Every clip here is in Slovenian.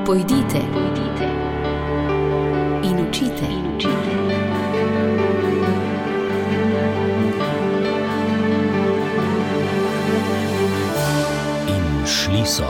Pojdite in učite. In šli so.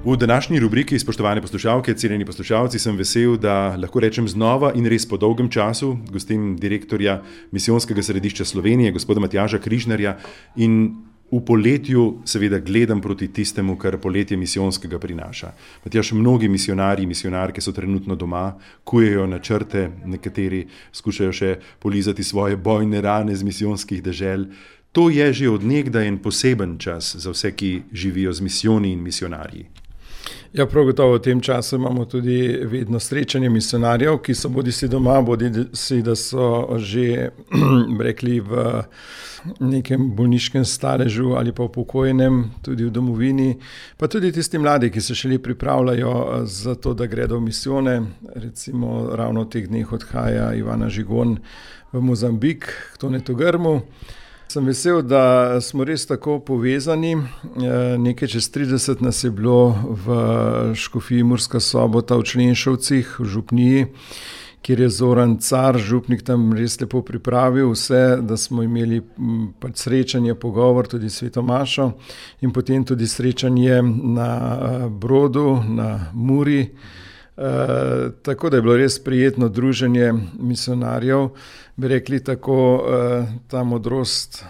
V današnji rubriki, spoštovane poslušalke, cenjeni poslušalci, sem vesel, da lahko rečem znova in res po dolgem času gostim direktorja Misijonskega središča Slovenije, gospoda Matjaža Križnarja, in v poletju seveda gledam proti tistemu, kar poletje misijonskega prinaša. Matjaž, mnogi misionarji in misionarke so trenutno doma, kujejo načrte, nekateri skušajo še polizati svoje bojne rane z misijonskih dežel. To je že od nekdaj en poseben čas za vse, ki živijo z misijoni in misionarji. Ja, prav gotovo v tem času imamo tudi vedno srečanje misionarjev, ki so bodisi doma, bodisi da so že rekli v nekem bolniškem staležu ali pa upokojenem, tudi v domovini, pa tudi tisti mladi, ki se šele pripravljajo za to, da gredo v misijone. Recimo ravno v teh dneh odhaja Ivana Žigon v Mozambik, k Tonetu Grmu. Sem vesel, da smo res tako povezani. Nekaj čez 30 nas je bilo v škofiji Murska Sobota v Členšovcih, v župniji, kjer je Zoran Car, župnik, tam res lepo pripravil vse, da smo imeli srečanje, pogovor, tudi sveto mašo in potem tudi srečanje na Brodu, na Muri. Tako da je bilo res prijetno druženje misionarjev, bi rekli tako, ta modrost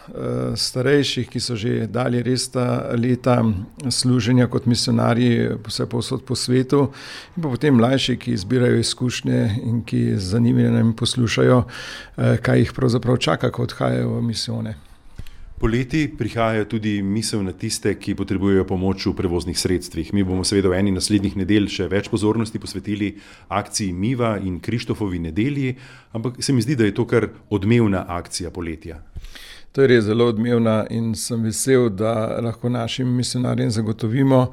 starejših, ki so že dali res ta leta služenja kot misionarji vse povsod po svetu, in pa potem mlajši, ki zbirajo izkušnje in ki z zanimanjem poslušajo, kaj jih pravzaprav čaka, ko odhajajo v misijone. Poleti prihaja tudi misel na tiste, ki potrebujejo pomoč v prevoznih sredstvih. Mi bomo seveda v eni naslednjih nedelj še več pozornosti posvetili akciji Miva in Krištofovi nedelji, ampak se mi zdi, da je to kar odmevna akcija poletja. To je res zelo odmevna in sem vesel, da lahko našim misionarjem zagotovimo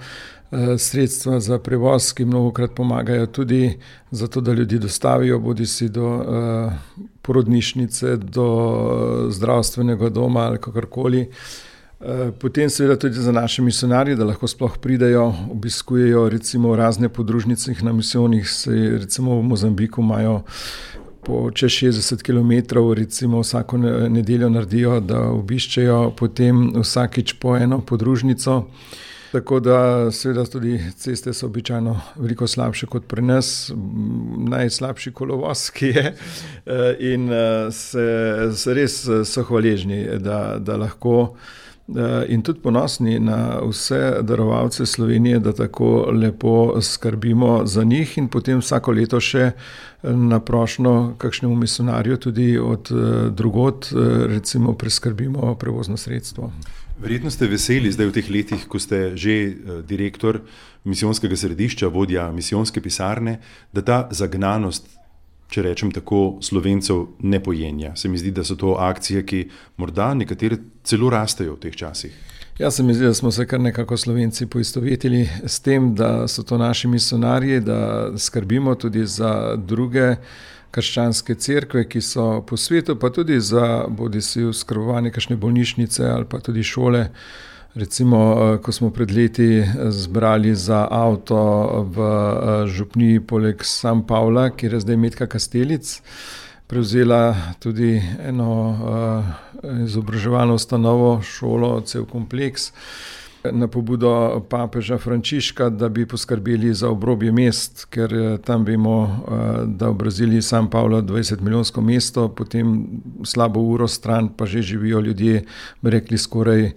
sredstva za prevoz, ki mnogokrat pomagajo tudi zato, da ljudi dostavijo bodisi do porodnišnice, do zdravstvenega doma ali kakorkoli. Potem seveda tudi za naše misionarje, da lahko sploh pridejo, obiskujejo recimo razne podružnice na misijonih, recimo v Mozambiku imajo po čez 60 kilometrov, recimo vsako nedeljo naredijo, da obiščejo potem vsakič po eno podružnico. Tako da seveda tudi ceste so običajno veliko slabše kot pri nas, najslabši kolovoz, ki je, in se res so hvaležni, da lahko in tudi ponosni na vse darovalce Slovenije, da tako lepo skrbimo za njih in potem vsako leto še na prošnjo kakšnemu misionarju tudi od drugod recimo preskrbimo prevozno sredstvo. Verjetno ste veseli zdaj v teh letih, ko ste že direktor misijonskega središča, vodja misijonske pisarne, da ta zagnanost, če rečem tako, Slovencev ne pojenja. Se mi zdi, da so to akcije, ki morda nekatere celo rastejo v teh časih. Ja, se mi zdi, da smo se kar nekako Slovenci poistovetili s tem, da so to naši misionarji, da skrbimo tudi za druge krščanske cerkve, ki so po svetu, pa tudi za bodisi oskrbovanje kakšne bolnišnice ali pa tudi šole. Recimo, ko smo pred leti zbrali za avto v župniji poleg San Pavla, kjer je zdaj Metka Kastelic, prevzela tudi eno izobraževalno ustanovo, šolo, cel kompleks, na pobudo papeža Frančiška, da bi poskrbeli za obrobje mest, ker tam vemo, da v Braziliji San Pavlo 20-milijonsko mesto, potem slabo uro stran pa že živijo ljudje, bi rekli, skoraj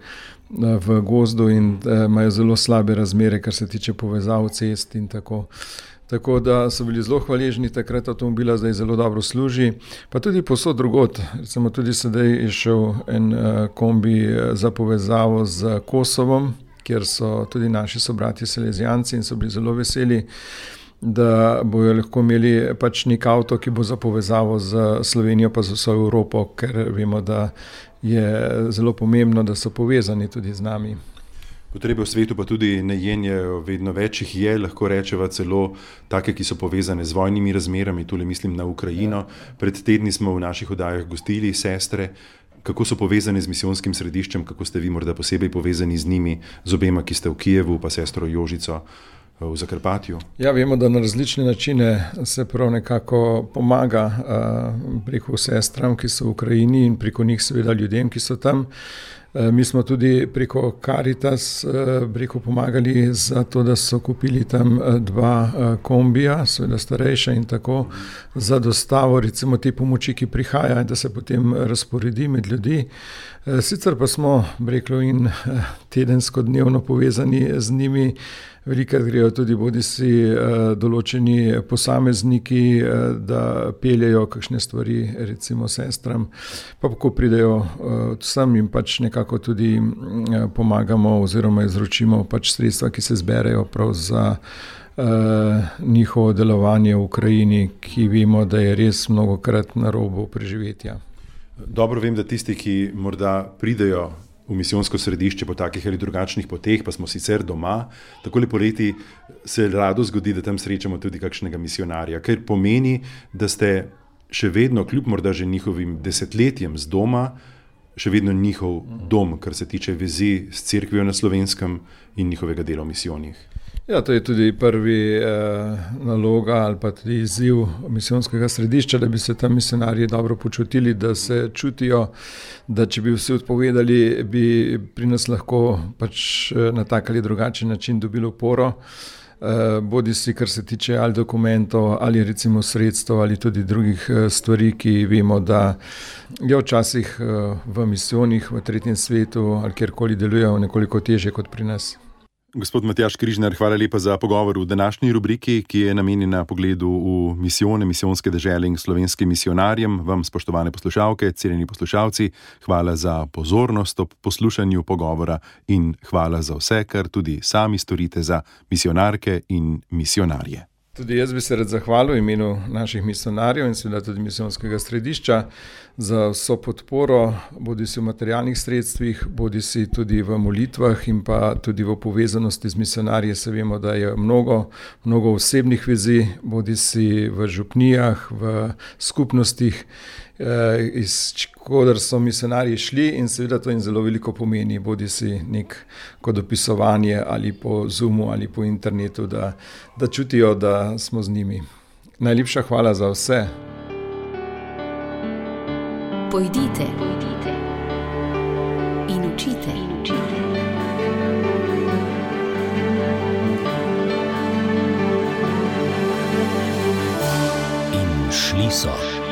v gozdu in imajo zelo slabe razmere, kar se tiče povezav cest in tako. Tako da so bili zelo hvaležni, takrat avtomobila zdaj zelo dobro služi, pa tudi povsod drugod. Recimo tudi sedaj je šel en kombi za povezavo z Kosovom, kjer so tudi naši sobratje Salezijanci in so bili zelo veseli, da bojo lahko imeli pač nek avto, ki bo za povezavo z Slovenijo pa z vso Evropo, ker vemo, da je zelo pomembno, da so povezani tudi z nami. Potrebe v svetu pa tudi ne jenjajo, vedno več jih je, lahko rečeva celo take, ki so povezane z vojnimi razmerami, tule mislim na Ukrajino. Pred tedni smo v naših oddajah gostili sestre. kako so povezani z misijonskim središčem, kako ste vi morda posebej povezani z njimi, z obema, ki ste v Kijevu, pa sestro Jožico v Zakrpatju? Ja, vemo, da na različne načine se prav nekako pomaga preko sestram, ki so v Ukrajini, in preko njih seveda ljudem, ki so tam. Mi smo tudi preko Caritas pomagali za to, da so kupili tam 2 kombija, seveda starejša, in tako za dostavo recimo te pomoči, ki prihaja, da se potem razporedi med ljudi. Sicer pa smo in tedensko, dnevno povezani z njimi. Velikokrat grejo tudi bodisi določeni posamezniki, da peljejo kakšne stvari recimo sestram, pa ko pridejo sem, jim pač nekako tudi pomagamo oziroma izročimo pač sredstva, ki se zberejo prav za njihovo delovanje v Ukrajini, ki vemo, da je res mnogokrat na robu preživetja. Dobro vem, da tisti, ki morda pridejo v misijonsko središče po takih ali drugačnih poteh, pa smo sicer doma, takole poleti se rado zgodi, da tam srečamo tudi kakšnega misijonarja, ker pomeni, da ste še vedno, kljub morda že njihovim desetletjem z doma, še vedno njihov dom, kar se tiče vezi s cerkvijo na Slovenskem in njihovega dela v misijonih. Ja, to je tudi prvi naloga ali pa tudi izziv misijonskega središča, da bi se tam misionarji dobro počutili, da se čutijo, da če bi vsi odpovedali, bi pri nas lahko pač na tak ali drugačen način dobili oporo, bodisi kar se tiče ali dokumentov ali recimo sredstev ali tudi drugih stvari, ki vemo, da je včasih v misijonih v tretjem svetu ali kjerkoli delujejo nekoliko težje kot pri nas. Gospod Matjaž Križnar, hvala lepa za pogovor v današnji rubriki, ki je namenjena pogledu v misijone, misijonske dežele in slovenskim misijonarjem. Vam, spoštovane poslušalke, cenjeni poslušalci, hvala za pozornost ob poslušanju pogovora in hvala za vse, kar tudi sami storite za misijonarke in misijonarje. Tudi jaz bi se rad zahvalil v imenu naših misijonarjev in seveda tudi misijonskega središča za vso podporo, bodisi v materialnih sredstvih, bodisi tudi v molitvah in pa tudi v povezanosti z misijonarji. Se vemo, da je mnogo osebnih vezi, bodisi v župnijah, v skupnostih, iz koder so misijonarji šli, in seveda to jim zelo veliko pomeni, bodisi neko dopisovanje ali po Zoomu ali po internetu, da čutijo, da smo z njimi. Najlepša hvala za vse. Pojdite in učite. In šli so.